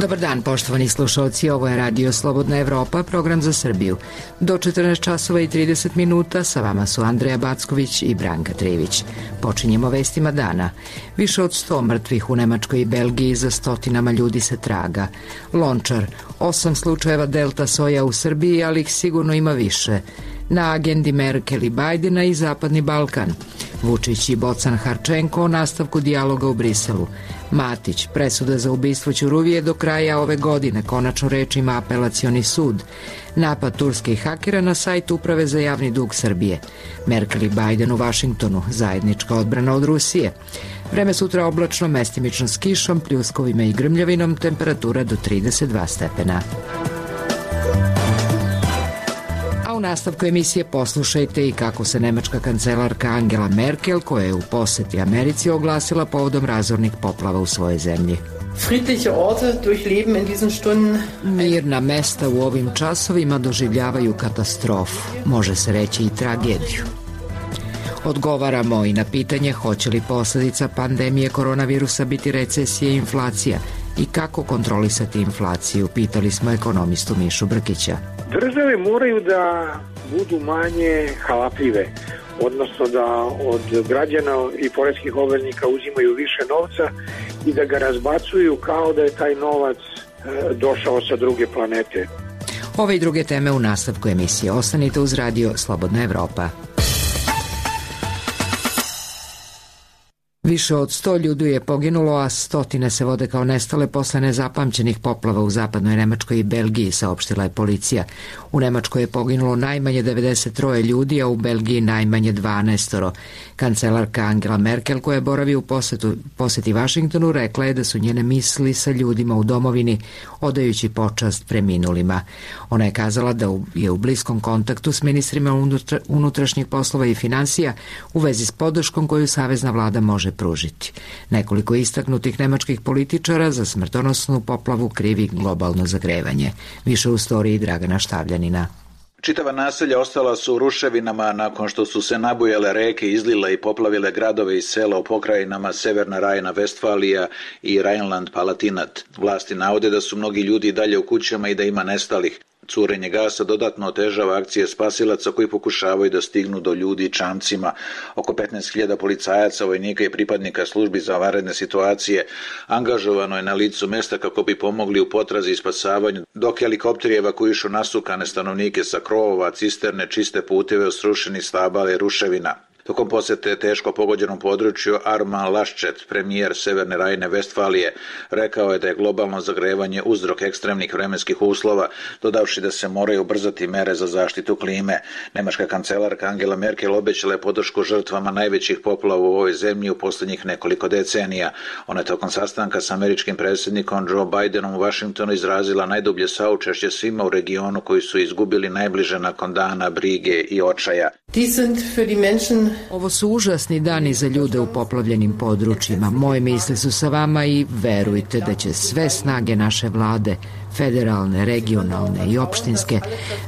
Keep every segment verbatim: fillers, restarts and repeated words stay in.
Dobar dan, poštovani slušalci, ovo je Radio Slobodna Evropa, program za Srbiju. Do četrnaest časova i trideset minuta sa vama su Andreja Backović i Branka Trivić. Počinjemo vestima dana. Više od sto mrtvih u Nemačkoj i Belgiji, za stotinama ljudi se traga. Lončar, osam slučajeva delta soja u Srbiji, ali ih sigurno ima više. Na agendi Merkel i Bajdena i Zapadni Balkan. Vučić i Bocan Harčenko o nastavku dijaloga u Briselu. Matić, presuda za ubistvo Ćuruvije do kraja ove godine, konačno reč ima apelacioni sud. Napad turskih hakera na sajt Uprave za javni dug Srbije. Merkel i Bajden u Vašingtonu, zajednička odbrana od Rusije. Vreme sutra oblačno, mestimično s kišom, pljuskovima i grmljavinom, temperatura do trideset dva stepena. U nastavku emisije poslušajte i kako se nemačka kancelarka Angela Merkel, koja je u poseti Americi, oglasila povodom razornih poplava u svojoj zemlji. Friedliche Orte durchleben in diesen Stunden. Mirna mesta u ovim časovima doživljavaju katastrofu, može se reći i tragediju. Odgovaramo i na pitanje hoće li posljedica pandemije koronavirusa biti recesija i inflacija i kako kontrolisati inflaciju, pitali smo ekonomistu Mišu Brkića. Države moraju da budu manje halapljive, odnosno da od građana i poreskih obveznika uzimaju više novca i da ga razbacuju kao da je taj novac e, došao sa druge planete. Ove i druge teme u nastavku emisije. Ostanite uz Radio Slobodna Evropa. Više od sto ljudi je poginulo, a stotine se vode kao nestale posle nezapamćenih poplava u zapadnoj Nemačkoj i Belgiji, saopštila je policija. U Nemačkoj je poginulo najmanje devedeset tri ljudi, a u Belgiji najmanje dvanaest. Kancelarka Angela Merkel, koja boravi u posetu, poseti Vašingtonu, rekla je da su njene misli sa ljudima u domovini, odajući počast preminulima. Ona je kazala da je u bliskom kontaktu s ministrima unutra, unutrašnjih poslova i finansija u vezi s podrškom koju savezna vlada može pružiti. Nekoliko istaknutih nemačkih političara za smrtonosnu poplavu krivi globalno zagrevanje. Više u storiji Dragana Štavljanina. Čitava naselja ostala su u ruševinama nakon što su se nabujale reke, izlile i poplavile gradove i sela u pokrajinama Severna Rajna-Vestfalija i Rajnland-Palatinat. Vlasti navode da su mnogi ljudi dalje u kućama i da ima nestalih. Curenje gasa dodatno otežava akcije spasilaca koji pokušavaju da stignu do ljudi čamcima. Oko petnaest hiljada policajaca, vojnika i pripadnika službi za vanredne situacije angažovano je na licu mesta kako bi pomogli u potrazi i spasavanju, dok helikopteri evakuišu nasukane stanovnike sa krovova, cisterne, čiste puteve od srušenih stabala i ruševina. Tokom posete teško pogođenom području Arman Laschet, premijer Severne Rajne-Vestfalije, rekao je da je globalno zagrevanje uzrok ekstremnih vremenskih uslova, dodavši da se moraju ubrzati mere za zaštitu klime. Nemačka kancelarka Angela Merkel obećala je podršku žrtvama najvećih poplava u ovoj zemlji u posljednjih nekoliko decenija. Ona je tokom sastanka s američkim predsjednikom Joe Bidenom u Vašingtonu izrazila najdublje saučešće svima u regionu koji su izgubili najbliže nakon dana brige i očaja. Ovo su užasni dani za ljude u poplavljenim područjima. Moje misli su sa vama i verujte da će sve snage naše vlade, federalne, regionalne i opštinske,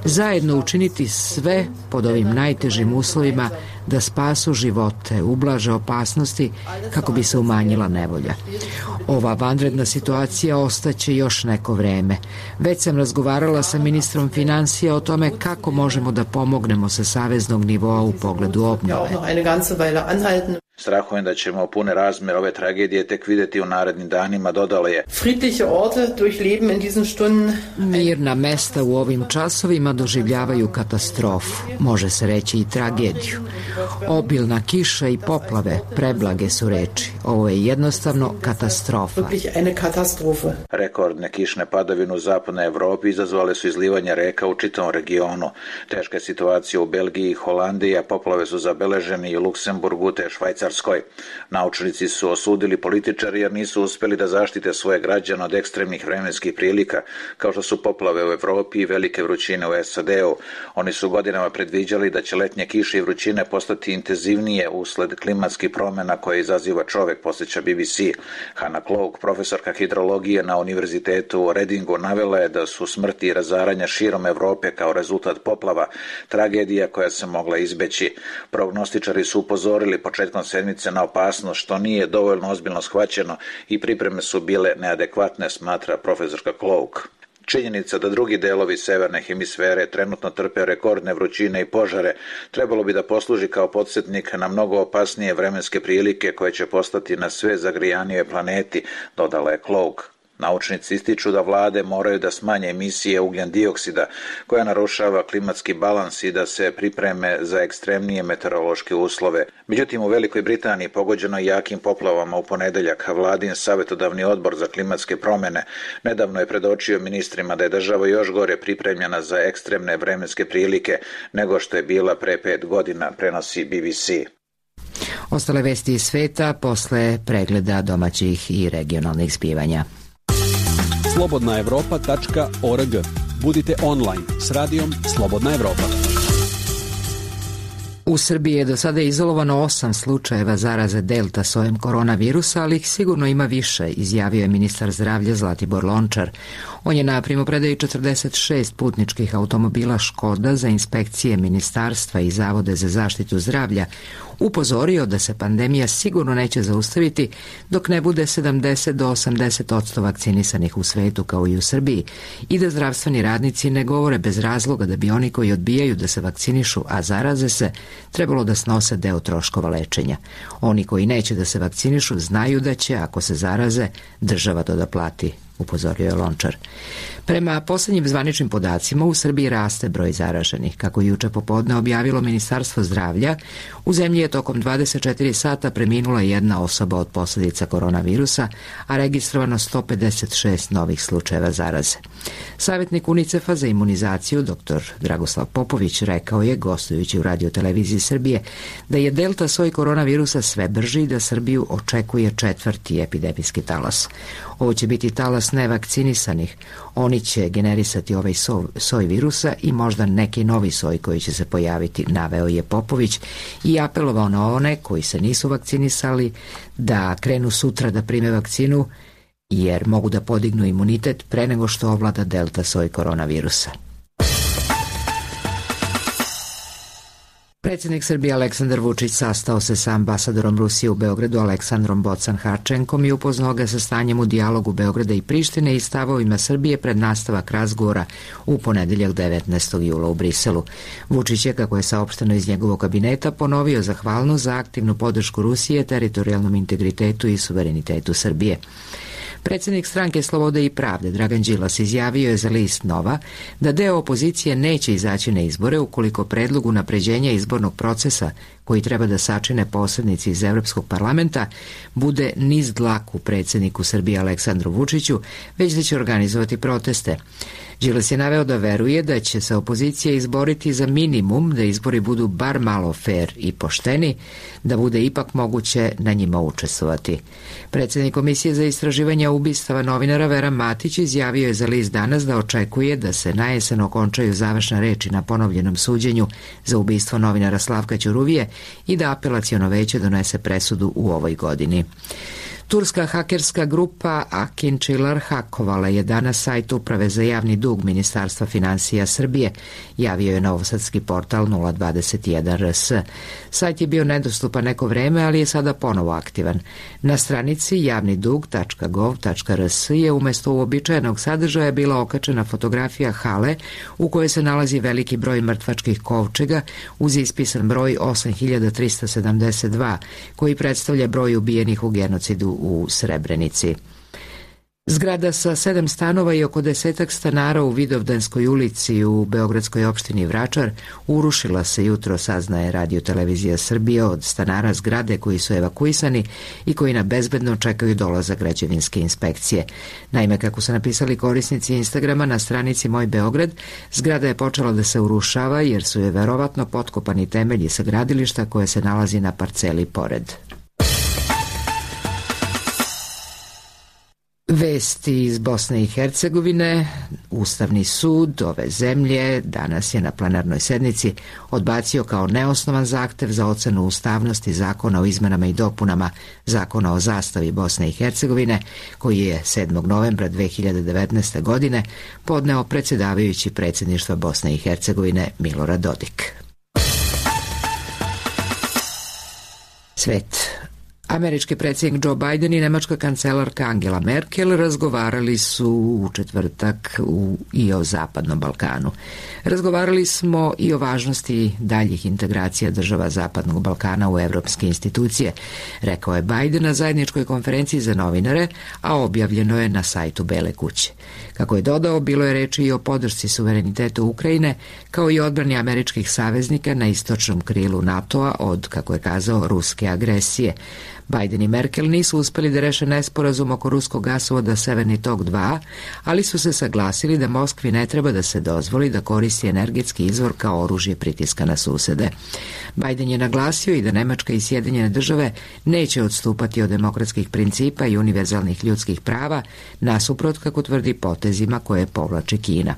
zajedno učiniti sve pod ovim najtežim uslovima da spasu živote, ublaže opasnosti kako bi se umanjila nevolja. Ova vanredna situacija ostaće još neko vreme. Već sam razgovarala sa ministrom finansija o tome kako možemo da pomognemo sa saveznog nivoa u pogledu obnove. Strahujem da ćemo pune razmjer ove tragedije tek vidjeti u narednim danima, dodala je. Friedliche Orte durchleben in diesen Stunden. Mirna mesta u ovim časovima doživljavaju katastrofu, može se reći i tragediju. Obilna kiša i poplave, preblage su reči. Ovo je jednostavno katastrofa. Rekordne kišne padavine u zapadnoj Evropi izazvale su izlivanje reka u čitavom regionu. Teška je situacija u Belgiji i Holandiji, a poplave su zabeležene i u Luksemburgu te Švajcarskoj. Naučnici su osudili političari jer nisu uspjeli da zaštite svoje građane od ekstremnih vremenskih prilika, kao što su poplave u Evropi i velike vrućine u S A D-u. Oni su godinama predviđali da će letnje kiše i vrućine postati intenzivnije usled klimatskih promjena koje izaziva čovjek, posjeća B B C. Hannah Cloak, profesorka hidrologije na univerzitetu u Readingu, navela je da su smrti i razaranja širom Evrope kao rezultat poplava tragedija koja se mogla izbeći. Prognostičari su upozorili početkom sedmice na opasnost, što nije dovoljno ozbiljno shvaćeno i pripreme su bile neadekvatne, smatra profesorka Cloak. Činjenica da drugi delovi severne hemisfere trenutno trpe rekordne vrućine i požare trebalo bi da posluži kao podsjetnik na mnogo opasnije vremenske prilike koje će postati na sve zagrijanijoj planeti, dodala je Cloak. Naučnici ističu da vlade moraju da smanje emisije ugljen dioksida koja narušava klimatski balans i da se pripreme za ekstremnije meteorološke uslove. Međutim, u Velikoj Britaniji pogođeno jakim poplavama u ponedeljak, vladin savjetodavni odbor za klimatske promjene nedavno je predočio ministrima da je država još gore pripremljena za ekstremne vremenske prilike nego što je bila pre pet godina, prenosi B B C. Ostale vesti iz sveta posle pregleda domaćih i regionalnih zbivanja. slobodna evropa tačka org. Budite online s radijom Slobodna Evropa. U Srbiji je do sada izolovano osam slučajeva zaraze delta sojem koronavirusa, ali ih sigurno ima više, izjavio je ministar zdravlja Zlatibor Lončar. On je na primopredaji četrdeset šest putničkih automobila Škoda za inspekcije ministarstva i Zavode za zaštitu zdravlja upozorio da se pandemija sigurno neće zaustaviti dok ne bude sedamdeset do osamdeset odsto vakcinisanih u svetu kao i u Srbiji i da zdravstveni radnici ne govore bez razloga da bi oni koji odbijaju da se vakcinišu, a zaraze se, trebalo da snose deo troškova lečenja. Oni koji neće da se vakcinišu znaju da će, ako se zaraze, država to da plati, upozorio je Lončar. Prema poslednjim zvaničnim podacima, u Srbiji raste broj zaraženih. Kako je juče popodne objavilo Ministarstvo zdravlja, u zemlji je tokom dvadeset četiri sata preminula jedna osoba od posljedica koronavirusa, a registrovano sto pedeset šest novih slučajeva zaraze. Savjetnik UNICEF-a za imunizaciju, dr Dragoslav Popović, rekao je, gostujući u radioteleviziji Srbije, da je delta soj koronavirusa sve brži i da Srbiju očekuje četvrti epidemijski talas. Ovo će biti talas nevakcinisanih. Oni će generisati ovaj soj, soj virusa i možda neki novi soj koji će se pojaviti, naveo je Popović i apelovao na one koji se nisu vakcinisali da krenu sutra da prime vakcinu jer mogu da podignu imunitet pre nego što ovlada delta soj koronavirusa. Predsjednik Srbije Aleksandar Vučić sastao se sa ambasadorom Rusije u Beogradu Aleksandrom Bocan-Harčenkom i upoznao ga sa stanjem u dijalogu Beograda i Prištine i stavovima Srbije pred nastavak razgovora u ponedeljak devetnaestog jula u Briselu. Vučić je, kako je saopšteno iz njegovog kabineta, ponovio zahvalnost za aktivnu podršku Rusije teritorijalnom integritetu i suverenitetu Srbije. Predsjednik stranke Slobode i pravde Dragan Đilas izjavio je za list Nova da deo opozicije neće izaći na izbore ukoliko predlog unapređenja izbornog procesa koji treba da sačine posrednici iz Evropskog parlamenta bude niz dlaku predsjedniku Srbije Aleksandru Vučiću, već da će organizovati proteste. Đilas je naveo da veruje da će se opozicija izboriti za minimum, da izbori budu bar malo fer i pošteni, da bude ipak moguće na njima učestvovati. Predsjednik Komisije za istraživanje ubistava novinara Vera Matić izjavio je za list Danas da očekuje da se na jesen okončaju završne reči na ponovljenom suđenju za ubistvo novinara Slavka Ćuruvije i da apelaciono veće donese presudu u ovoj godini. Turska hakerska grupa Akinčilar hakovala je danas sajt Uprave za javni dug Ministarstva finansija Srbije, javio je novosadski portal nula dvadeset jedan R S. Sajt je bio nedostupan neko vreme, ali je sada ponovo aktivan. Na stranici javni dug tačka gov tačka R S je umesto uobičajenog sadržaja bila okačena fotografija hale u kojoj se nalazi veliki broj mrtvačkih kovčega uz ispisan broj osam hiljada trista sedamdeset dva, koji predstavlja broj ubijenih u genocidu u Srebrenici. Zgrada sa sedam stanova i oko desetak stanara u Vidovdanskoj ulici u beogradskoj opštini Vračar urušila se jutro, saznaje Radio-televizija Srbije, od stanara zgrade koji su evakuisani i koji na bezbedno čekaju dolazak građevinske inspekcije. Naime, kako su napisali korisnici Instagrama na stranici Moj Beograd, zgrada je počela da se urušava jer su je verovatno potkopani temelji sa gradilišta koje se nalazi na parceli pored. Vesti iz Bosne i Hercegovine. Ustavni sud ove zemlje danas je na plenarnoj sednici odbacio kao neosnovan zahtev za ocenu ustavnosti Zakona o izmenama i dopunama Zakona o zastavi Bosne i Hercegovine, koji je sedmog novembra dve hiljade devetnaeste. godine podneo predsjedavajući predsjedništva Bosne i Hercegovine Milorad Dodik. Svet. Američki predsjednik Joe Biden i nemačka kancelarka Angela Merkel razgovarali su u četvrtak u, i o Zapadnom Balkanu. Razgovarali smo i o važnosti daljih integracija država Zapadnog Balkana u evropske institucije, rekao je Biden na zajedničkoj konferenciji za novinare, a objavljeno je na sajtu Bele kuće. Kako je dodao, bilo je reči i o podršci suverenitetu Ukrajine, kao i odbrani američkih saveznika na istočnom krilu NATO-a od, kako je kazao, ruske agresije. Biden i Merkel nisu uspeli da reše nesporazum oko ruskog gasovoda Severni tok dva, ali su se saglasili da Moskvi ne treba da se dozvoli da koristi energetski izvor kao oružje pritiska na susede. Biden je naglasio i da Nemačka i Sjedinjene države neće odstupati od demokratskih principa i univerzalnih ljudskih prava, nasuprot, kako tvrdi, potezima koje povlači Kina.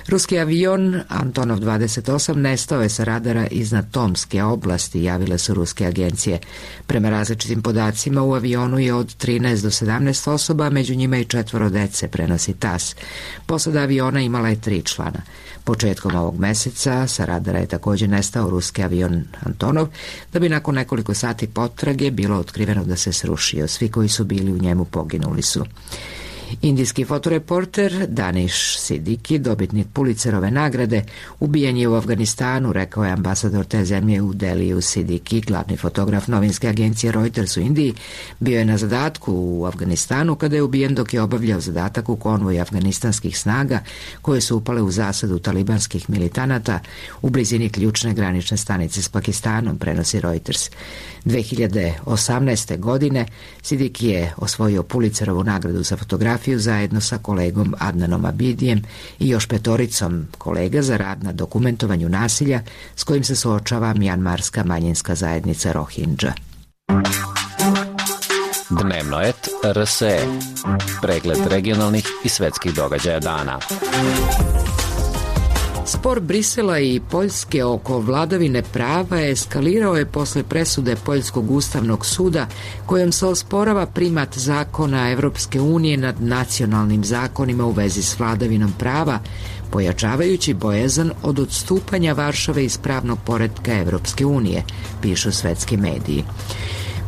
Ruski avion Antonov dvadeset osam nestao je sa radara iznad Tomske oblasti, javile su ruske agencije. Prema različitim podacima u avionu je od trinaest do sedamnaest osoba, među njima i četvoro dece, prenosi tas. Posada aviona imala je tri člana. Početkom ovog meseca sa radara je također nestao ruski avion Antonov, da bi nakon nekoliko sati potrage bilo otkriveno da se srušio. Svi koji su bili u njemu poginuli su. Indijski fotoreporter Danish Siddiqui, dobitnik Pulitzerove nagrade, ubijen je u Afganistanu, rekao je ambasador te zemlje u Deliju. Siddiqui, glavni fotograf novinske agencije Reuters u Indiji, bio je na zadatku u Afganistanu kada je ubijen dok je obavljao zadatak u konvoju afganistanskih snaga koje su upale u zasadu talibanskih militanata u blizini ključne granične stanice s Pakistanom, prenosi Reuters. dve hiljade osamnaeste. godine Siddiqui je osvojio Pulitzerovu nagradu za fotografiju zajedno sa kolegom Adnanom Abidijem i još petoricom kolega za rad na dokumentovanju nasilja s kojim se suočava mjanmarska manjinska zajednica Rohingya. Dnevno et R S E. Pregled regionalnih i svetskih događaja dana. Spor Brisela i Poljske oko vladavine prava eskalirao je posle presude Poljskog ustavnog suda kojom se osporava primat zakona Evropske unije nad nacionalnim zakonima u vezi s vladavinom prava, pojačavajući bojazan od odstupanja Varšave iz pravnog poretka Evropske unije, pišu svetski mediji.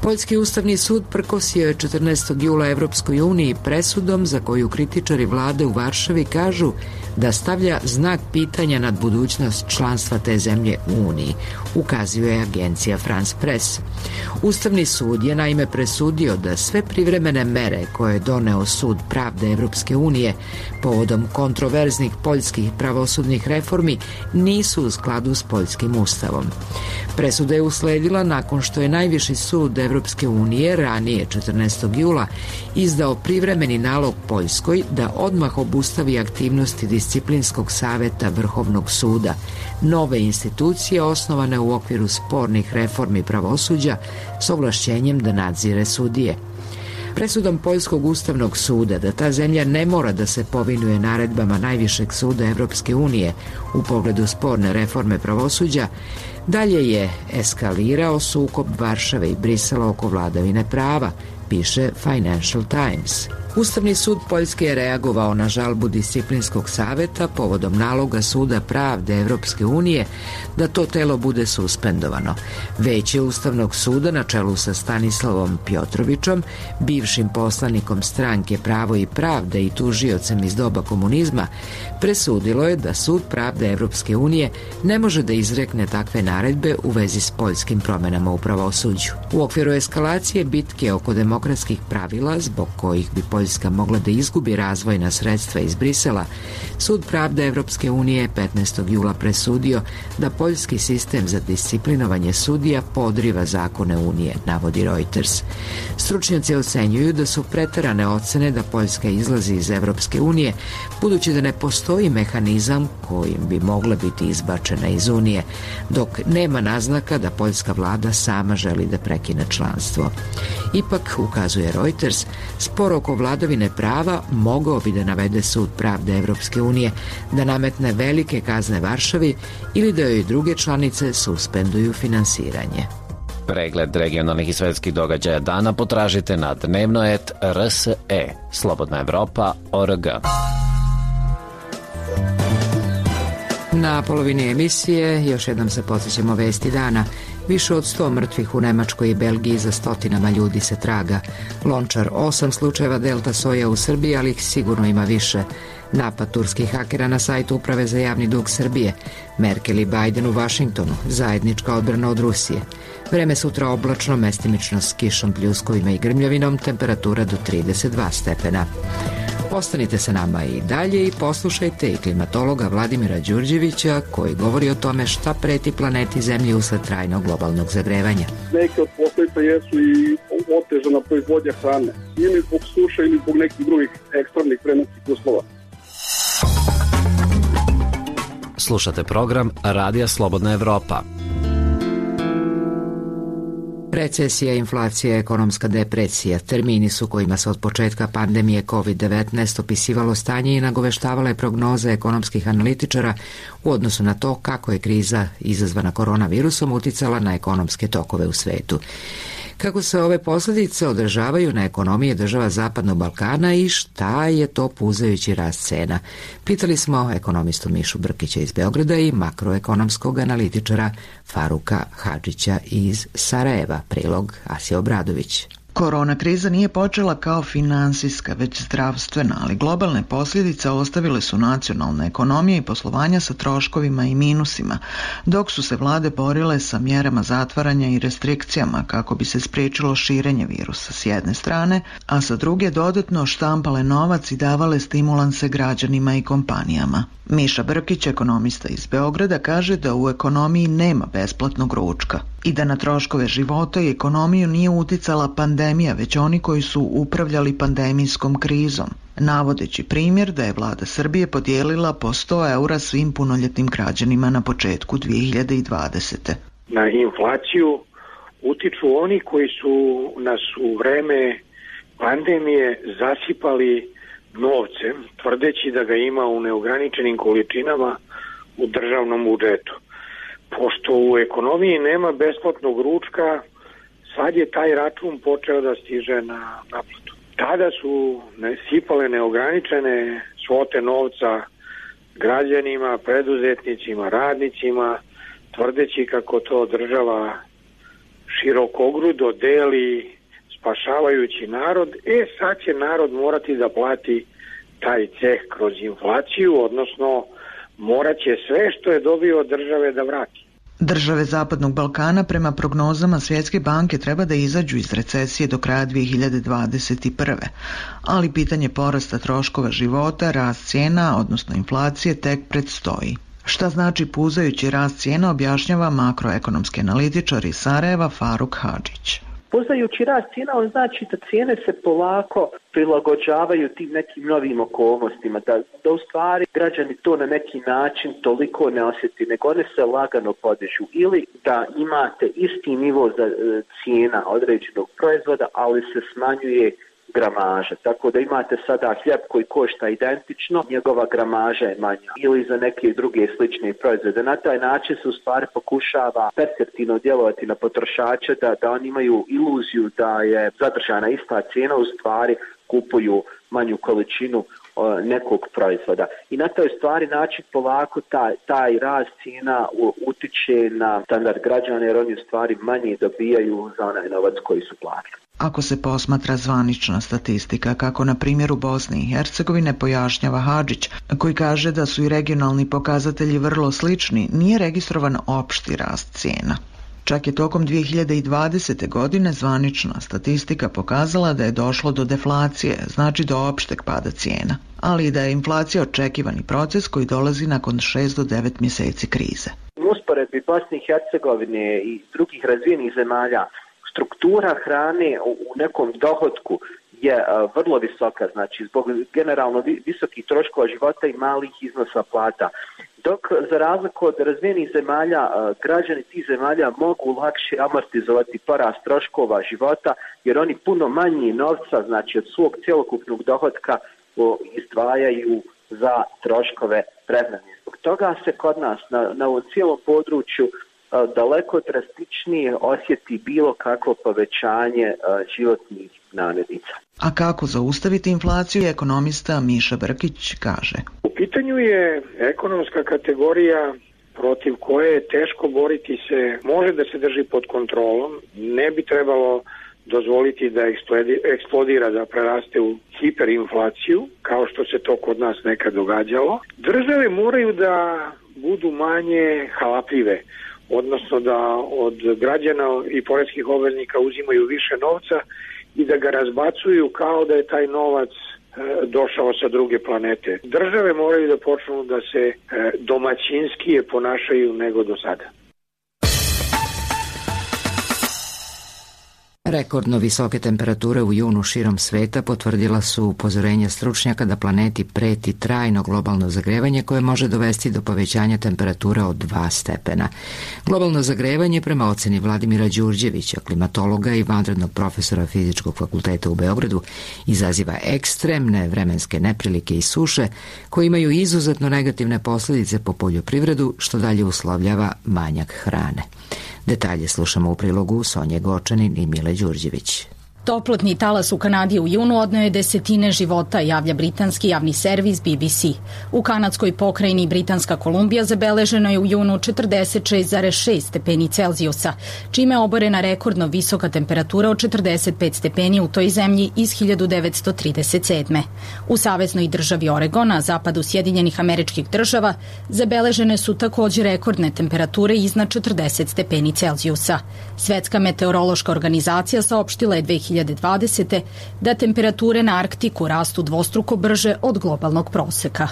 Poljski ustavni sud prkosio je četrnaestog jula Evropskoj uniji presudom za koju kritičari vlade u Varšavi kažu da stavlja znak pitanja nad budućnost članstva te zemlje u Uniji, ukazuje agencija France Press. Ustavni sud je naime presudio da sve privremene mere koje je doneo Sud pravde Evropske unije povodom kontroverznih poljskih pravosudnih reformi nisu u skladu s poljskim ustavom. Presuda je usledila nakon što je najviši sud Evropske unije ranije četrnaestog jula izdao privremeni nalog Poljskoj da odmah obustavi aktivnosti disciplinskog saveta Vrhovnog suda, nove institucije osnovane u okviru spornih reformi pravosuđa s ovlašćenjem da nadzire sudije. Presudom Poljskog ustavnog suda da ta zemlja ne mora da se povinuje naredbama najvišeg suda Evropske unije u pogledu sporne reforme pravosuđa, dalje je eskalirao sukob Varšave i Brisela oko vladavine prava, piše Financial Times. Ustavni sud Poljske je reagovao na žalbu disciplinskog saveta povodom naloga Suda pravde Evropske unije da to telo bude suspendovano. Veće Ustavnog suda na čelu sa Stanislavom Pjotrovićom, bivšim poslanikom stranke Pravo i pravde i tužiocem iz doba komunizma, presudilo je da Sud pravde Evropske unije ne može da izrekne takve naredbe u vezi s poljskim promenama u pravosuđu. U okviru eskalacije bitke oko demokratskih pravila, zbog kojih bi Poljska mogla da izgubi razvojna sredstva iz Brisela, Sud pravde Evropske unije petnaestog jula presudio da poljski sistem za disciplinovanje sudija podriva zakone Unije, navodi Reuters. Stručnjaci ocenjuju da su preterane ocene da Poljska izlazi iz Evropske unije, budući da ne postoji mehanizam kojim bi mogla biti izbačena iz Unije, dok nema naznaka da poljska vlada sama želi da prekine članstvo. Ipak, ukazuje Reuters, spor oko vladavine prava mogao bi da navede Sud pravde Evropske unije da nametne velike kazne Varšavi ili da joj druge članice suspenduju finansiranje. Pregled regionalnih i svetskih događaja dana potražite na dnevno et R S E, Slobodna Evropa, O R G. Na polovini emisije još jednom se podsjećamo vesti dana. Više od sto mrtvih u Nemačkoj i Belgiji, za stotinama ljudi se traga. Lončar osam slučajeva delta soja u Srbiji, ali ih sigurno ima više. Napad turskih hakera na sajtu Uprave za javni dug Srbije. Merkel i Biden u Vašingtonu. Zajednička odbrana od Rusije. Vreme sutra oblačno, mestimično s kišom, pljuskovima i grmljavinom, temperatura do trideset dva stepena. Ostanite sa nama i dalje i poslušajte i klimatologa Vladimira Đurđevića koji govori o tome šta preti planeti Zemlji usled trajnog globalnog zagrevanja. Neke od posledica jesu i otežana proizvodnja hrane, ili zbog suše ili zbog nekih drugih ekstremnih vremenskih uslova. Slušate program Radija Slobodna Evropa. Recesija, inflacija, ekonomska depresija, termini su kojima se od početka pandemije kovid devetnaest opisivalo stanje i nagoveštavale prognoze ekonomskih analitičara u odnosu na to kako je kriza izazvana koronavirusom uticala na ekonomske tokove u svetu. Kako se ove posljedice odražavaju na ekonomije država Zapadnog Balkana i šta je to puzajući rast cena? Pitali smo ekonomistu Mišu Brkića iz Beograda i makroekonomskog analitičara Faruka Hadžića iz Sarajeva. Prilog Asija Obradović. Korona kriza nije počela kao finansijska, već zdravstvena, ali globalne posljedice ostavile su nacionalne ekonomije i poslovanja sa troškovima i minusima, dok su se vlade borile sa mjerama zatvaranja i restrikcijama kako bi se spriječilo širenje virusa s jedne strane, a sa druge dodatno štampale novac i davale stimulanse građanima i kompanijama. Miša Brkić, ekonomista iz Beograda, kaže da u ekonomiji nema besplatnog ručka i da na troškove života i ekonomiju nije uticala pandemija, već oni koji su upravljali pandemijskom krizom, navodeći primjer da je vlada Srbije podijelila po sto eura svim punoljetnim građanima na početku dvije hiljade dvadesete. Na inflaciju utiču oni koji su nas u vreme pandemije zasipali novcem, tvrdeći da ga ima u neograničenim količinama u državnom budžetu. Pošto u ekonomiji nema besplatnog ručka, sad je taj račun počeo da stiže na naplatu. Tada su sipale neograničene svote novca građanima, preduzetnicima, radnicima, tvrdeći kako to država širokogrudo deli spašavajući narod. E sad će narod morati da plati taj ceh kroz inflaciju, odnosno morat će sve što je dobio od države da vrati. Države Zapadnog Balkana prema prognozama Svjetske banke treba da izađu iz recesije do kraja dvije hiljade dvadeset prve. Ali pitanje porasta troškova života, rast cijena, odnosno inflacije, tek predstoji. Šta znači puzajući rast cijena, objašnjava makroekonomski analitičar iz Sarajeva Faruk Hadžić. Puzajući rast cijena, on znači da cijene se polako prilagođavaju tim nekim novim okolnostima, da, da u stvari građani to na neki način toliko ne osjeti, nego one se lagano podižu. Ili da imate isti nivo za e, cijena određenog proizvoda, ali se smanjuje gramaža. Tako da imate sada hljeb koji košta identično, njegova gramaža je manja. Ili za neke druge slične proizvode. Na taj način se u stvari pokušava perceptivno djelovati na potrošače, da, da oni imaju iluziju da je zadržana ista cijena, u stvari kupuju manju količinu o, nekog proizvoda. I na toj stvari način polako taj, taj rast cijena utiče na standard građana, jer oni u stvari manje dobijaju za onaj novac koji su platili. Ako se posmatra zvanična statistika, kako na primjeru Bosne i Hercegovine, pojašnjava Hadžić, koji kaže da su i regionalni pokazatelji vrlo slični, nije registrovan opšti rast cijena. Čak je tokom dvije hiljade dvadesete. godine zvanična statistika pokazala da je došlo do deflacije, znači do opšteg pada cijena, ali i da je inflacija očekivani proces koji dolazi nakon šest do devet mjeseci krize. U usporedbi Bosne i Hercegovine i drugih razvijenih zemalja, struktura hrane u nekom dohotku je uh, vrlo visoka, znači zbog generalno visokih troškova života i malih iznosa plata. Dok za razliku od razvijenih zemalja, uh, građani tih zemalja mogu lakše amortizovati porast troškova života, jer oni puno manje novca, znači od svog cjelokupnog dohotka, uh, izdvajaju za troškove prehrane. Zbog toga se kod nas na, na ovom cijelom području daleko drastičnije osjeti bilo kakvo povećanje životnih namirnica. A kako zaustaviti inflaciju, ekonomista Miša Brkić kaže. U pitanju je ekonomska kategorija protiv koje je teško boriti se, može da se drži pod kontrolom, ne bi trebalo dozvoliti da eksplodira, da preraste u hiperinflaciju, kao što se to kod nas nekad događalo. Države moraju da budu manje halapljive, odnosno da od građana i poreskih obveznika uzimaju više novca i da ga razbacuju kao da je taj novac došao sa druge planete. Države moraju da počnu da se domaćinskije ponašaju nego do sada. Rekordno visoke temperature u junu širom sveta potvrdila su upozorenja stručnjaka da planeti preti trajno globalno zagrevanje koje može dovesti do povećanja temperature od dva stepena. Globalno zagrevanje, prema oceni Vladimira Đurđevića, klimatologa i vanrednog profesora Fizičkog fakulteta u Beogradu, izaziva ekstremne vremenske neprilike i suše koje imaju izuzetno negativne posljedice po poljoprivredu, što dalje uslovljava manjak hrane. Detalje slušamo u prilogu Sonje Gočanin i Mile Đurđević. Toplotni talas u Kanadi u junu odneo je desetine života, javlja britanski javni servis B B C. U kanadskoj pokrajini Britanska Kolumbija zabeleženo je u junu četrdeset šest zarez šest stepeni Celzijusa, čime je oborena rekordno visoka temperatura od četrdeset pet stepeni u toj zemlji iz hiljadu devetsto trideset sedme. U saveznoj državi Oregon, na zapadu Sjedinjenih Američkih Država, zabeležene su također rekordne temperature iznad četrdeset stepeni Celzijusa. Svetska meteorološka organizacija saopštila je dve hiljade dvadesete da temperature na Arktiku rastu dvostruko brže od globalnog proseka.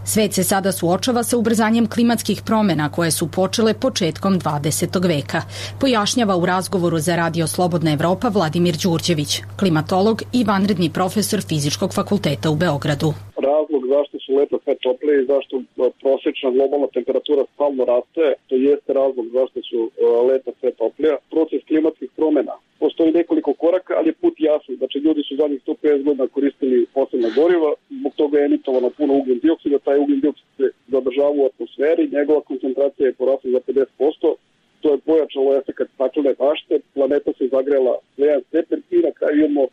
Svet se sada suočava sa ubrzanjem klimatskih promjena koje su počele početkom dvadesetog veka, pojašnjava u razgovoru za Radio Slobodna Evropa Vladimir Đurđević, klimatolog i vanredni profesor Fizičkog fakulteta u Beogradu. Razlog zašto su leta sve toplije i zašto prosječna globalna temperatura stalno raste, to jeste razlog zašto su leta sve toplija. Proces klimatskih promjena. Postoji nekoliko koraka, ali je put jasan. Znači, ljudi su zadnjih sto pedeset godina koristili fosilna goriva, zbog toga je emitovano puno ugljen dioksida, taj ugljen dioksid se zadržava u atmosferi, njegova koncentracija je porasla za pedeset posto, to je pojačalo efekat staklene bašte, planeta se zagrela za jedan stepen i na kraju imamo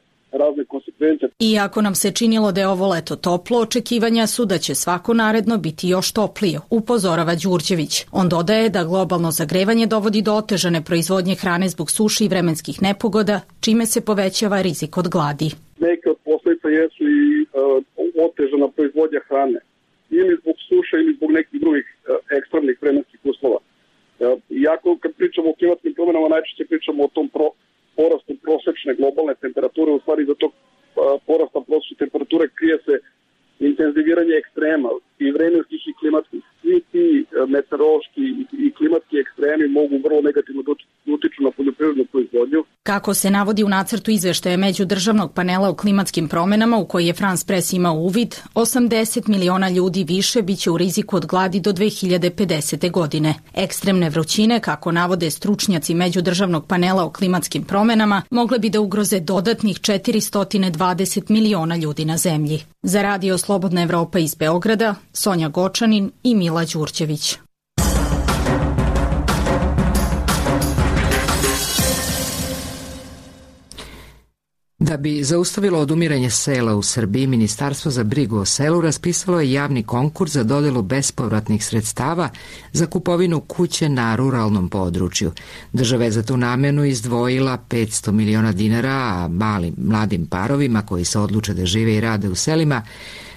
razne konsekvence. Iako nam se činilo da je ovo leto toplo, očekivanja su da će svako naredno biti još toplije, upozorava Đurđević. On dodaje da globalno zagrevanje dovodi do otežane proizvodnje hrane zbog suši i vremenskih nepogoda, čime se povećava rizik od gladi. Neke od posljedica jesu i uh, otežana proizvodnja hrane, ili zbog suše ili zbog nekih drugih uh, ekstremnih vremenskih uslova. Uh, iako kad pričamo o klimatskim promjenama, najčešće pričamo o tom pro porastu prosječne globalne temperature, u stvari za tog porasta prosječne temperature krije se intenziviranje ekstrema i vremenskih i klimatskih. Svi ti meteorološki i klimatski ekstremi mogu vrlo negativno utiču na poljoprivrednu proizvodnju. Kako se navodi u nacrtu izveštaja međudržavnog panela o klimatskim promjenama u koji je France Press imao uvid, osamdeset miliona ljudi više biće u riziku od gladi do dve hiljade pedesete. godine. Ekstremne vrućine, kako navode stručnjaci međudržavnog panela o klimatskim promjenama, mogle bi da ugroze dodatnih četiristo dvadeset miliona ljudi na zemlji. Za Radio Slobodna Evropa iz Beograda, Sonja Gočanin i Mila Đurđević. Da bi zaustavilo odumiranje sela u Srbiji, Ministarstvo za brigu o selu raspisalo je javni konkurs za dodelu bespovratnih sredstava za kupovinu kuće na ruralnom području. Država je za tu namjenu izdvojila petsto miliona dinara, a malim mladim parovima koji se odluče da žive i rade u selima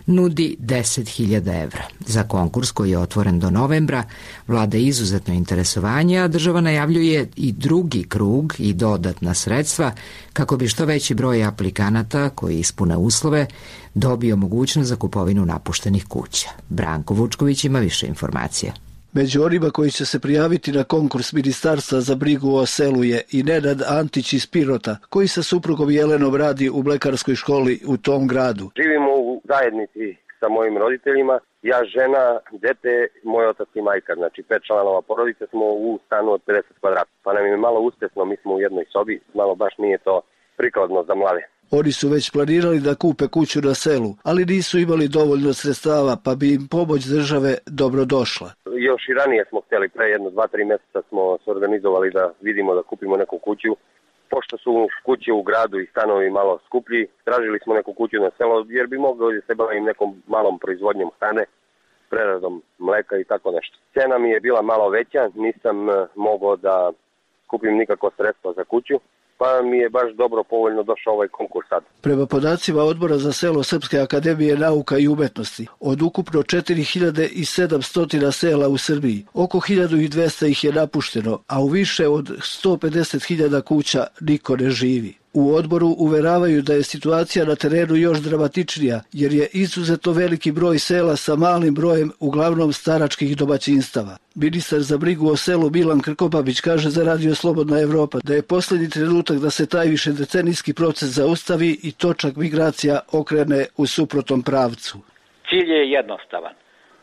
nudi deset hiljada evra. Za konkurs koji je otvoren do novembra vlada izuzetno interesovanje, a država najavljuje i drugi krug i dodatna sredstva kako bi što veći broj aplikanata koji ispune uslove dobio mogućnost za kupovinu napuštenih kuća. Branko Vučković ima više informacija. Među onima koji će se prijaviti na konkurs Ministarstva za brigu o selu je i Nenad Antić iz Pirota, koji sa suprugom Jelenom radi u mlekarskoj školi u tom gradu. Živimo u zajednici sa mojim roditeljima, ja, žena, dete, moj otac i majka, znači pet članova porodice smo u stanu od pedeset kvadrata. Pa nam je malo uspješno, mi smo u jednoj sobi, malo baš nije to prikladno za mlade. Oni su već planirali da kupe kuću na selu, ali nisu imali dovoljno sredstava, pa bi im pomoć države dobro došla. Još i ranije smo htjeli, pre jedno dva, tri mjeseca smo se organizovali da vidimo da kupimo neku kuću. Pošto su kuće u gradu i stanovi malo skuplji, tražili smo neku kuću na selo jer bi mogli da se bavim nekom malom proizvodnjom hrane. preradom mleka i tako nešto. Cena mi je bila malo veća, nisam mogao da kupim nikakvo sredstvo za kuću, pa mi je baš dobro povoljno došao ovaj konkurs sad. Prema podacima Odbora za selo Srpske akademije nauka i umetnosti, od ukupno četiri hiljade sedamsto sela u Srbiji, oko hiljadu dvesta ih je napušteno, a u više od sto pedeset hiljada kuća niko ne živi. U odboru uveravaju da je situacija na terenu još dramatičnija, jer je izuzetno veliki broj sela sa malim brojem uglavnom staračkih domaćinstava. Ministar za brigu o selu Milan Krkobabić kaže za Radio Slobodna Evropa da je posljednji trenutak da se taj višedecenijski proces zaustavi i točak migracija okrene u suprotnom pravcu. Cilj je jednostavan,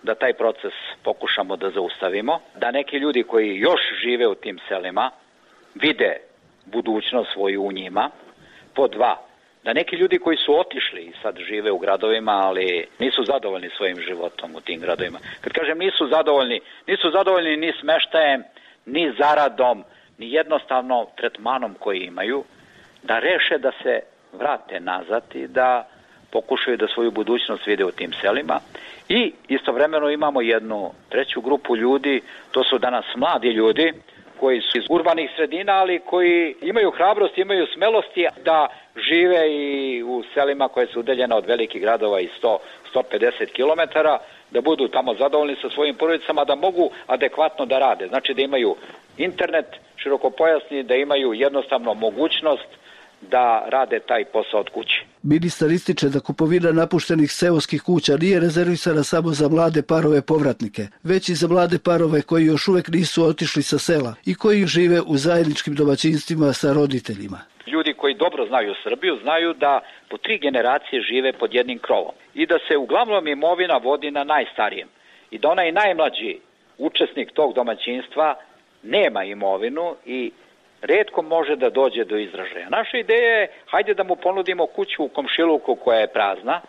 da taj proces pokušamo da zaustavimo, da neki ljudi koji još žive u tim selima vide budućnost svoju u njima. Po dva, da neki ljudi koji su otišli i sad žive u gradovima, ali nisu zadovoljni svojim životom u tim gradovima. Kad kažem nisu zadovoljni, nisu zadovoljni ni smeštajem, ni zaradom, ni jednostavno tretmanom koji imaju, da reše da se vrate nazad i da pokušaju da svoju budućnost vide u tim selima. I istovremeno imamo jednu treću grupu ljudi, to su danas mladi ljudi, koji su iz urbanih sredina, ali koji imaju hrabrost, imaju smelosti da žive i u selima koje su udaljene od velikih gradova i sto do sto pedeset kilometara, da budu tamo zadovoljni sa svojim porodicama, da mogu adekvatno da rade. Znači da imaju internet širokopojasni, da imaju jednostavno mogućnost da rade taj posao od kuće. Ministar ističe da kupovina napuštenih seoskih kuća nije rezervisana samo za mlade parove povratnike, već i za mlade parove koji još uvek nisu otišli sa sela i koji žive u zajedničkim domaćinstvima sa roditeljima. Ljudi koji dobro znaju Srbiju znaju da po tri generacije žive pod jednim krovom i da se uglavnom imovina vodi na najstarijem i da onaj najmlađi učesnik tog domaćinstva nema imovinu i retko može da dođe do izražaja. Naša ideja je, hajde da mu ponudimo kuću u komšiluku koja je prazna,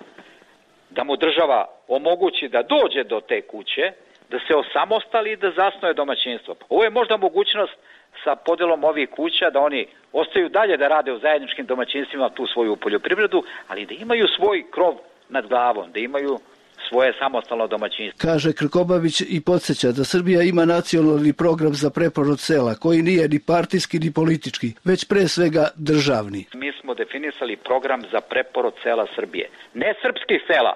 da mu država omogući da dođe do te kuće, da se osamostali i da zasnuje domaćinstvo. Ovo je možda mogućnost sa podelom ovih kuća da oni ostaju dalje da rade u zajedničkim domaćinstvima tu svoju poljoprivredu, ali da imaju svoj krov nad glavom, da imaju svoje samostalno domaćinstvo. Kaže Krkobabić i podsjeća da Srbija ima nacionalni program za preporod sela, koji nije ni partijski ni politički, već pre svega državni. Mi smo definisali program za preporod sela Srbije. Ne srpskih sela,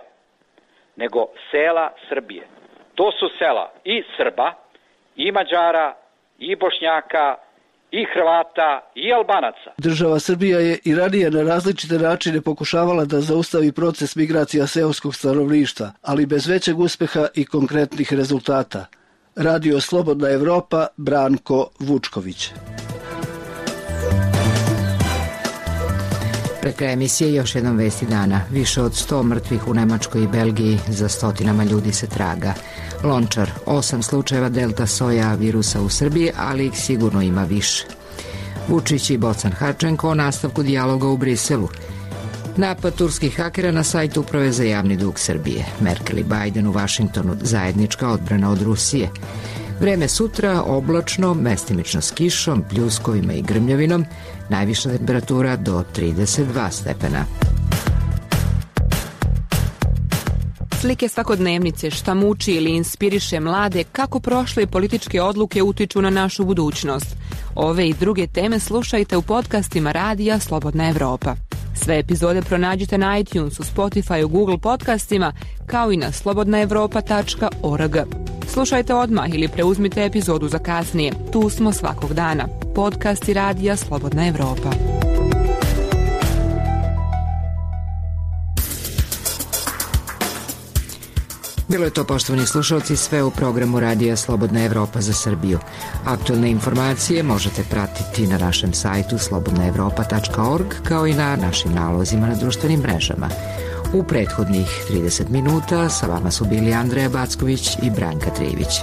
nego sela Srbije. To su sela i Srba, i Mađara, i Bošnjaka, i Hrvata, i Albanaca. Država Srbija je i ranije na različite načine pokušavala da zaustavi proces migracija seoskog stanovništva, ali bez većeg uspeha i konkretnih rezultata. Radio Slobodna Evropa, Branko Vučković. Pred kraj emisije još jednom vesti dana. Više od sto mrtvih u Nemačkoj i Belgiji, za stotinama ljudi se traga. Lončar, osam slučajeva delta soja virusa u Srbiji, ali ih sigurno ima više. Vučić i Bocan Hadženko o nastavku dijaloga u Briselu. Napad turskih hakera na sajt Uprave za javni dug Srbije. Merkel i Biden u Vašingtonu, zajednička odbrana od Rusije. Vreme sutra oblačno, mestimično s kišom, pljuskovima i grmljavinom, najviša temperatura do trideset dva stepena. Slike svakodnevnice, šta muči ili inspiriše mlade, kako prošle političke odluke utiču na našu budućnost. Ove i druge teme slušajte u podcastima Radija Slobodna Evropa. Sve epizode pronađite na iTunesu, Spotify, Google podcastima, kao i na slobodna evropa tačka org. Slušajte odmah ili preuzmite epizodu za kasnije. Tu smo svakog dana. Podcasti Radija Slobodna Evropa. Bilo je to, poštovani slušalci, sve u programu Radija Slobodna Evropa za Srbiju. Aktualne informacije možete pratiti na našem sajtu slobodna evropa tačka org, kao i na našim nalozima na društvenim mrežama. U prethodnih trideset minuta sa vama su bili Andreja Backović i Branka Trivić.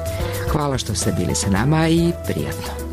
Hvala što ste bili sa nama i prijatno.